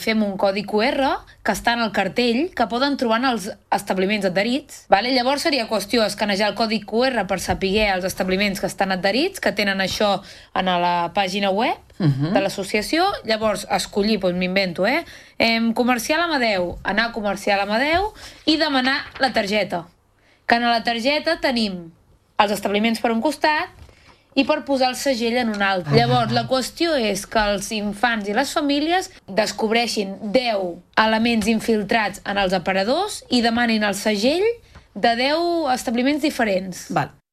Fem un codi QR que està en el cartell que poden trobar en els establiments adherits. Llavors seria qüestió escanejar el codi QR per saber els establiments que estan adherits, que tenen això en la pàgina web de l'associació. Llavors escollir, m'invento, Comercial Amadeu, anar a Comercial Amadeu i demanar la targeta. Que en la targeta tenim els establiments per un costat i per posar el segell en un altre. Llavors, la qüestió és que els infants i les famílies descobreixin 10 elements infiltrats en els aparadors i demanin el segell de 10 establiments diferents. Val.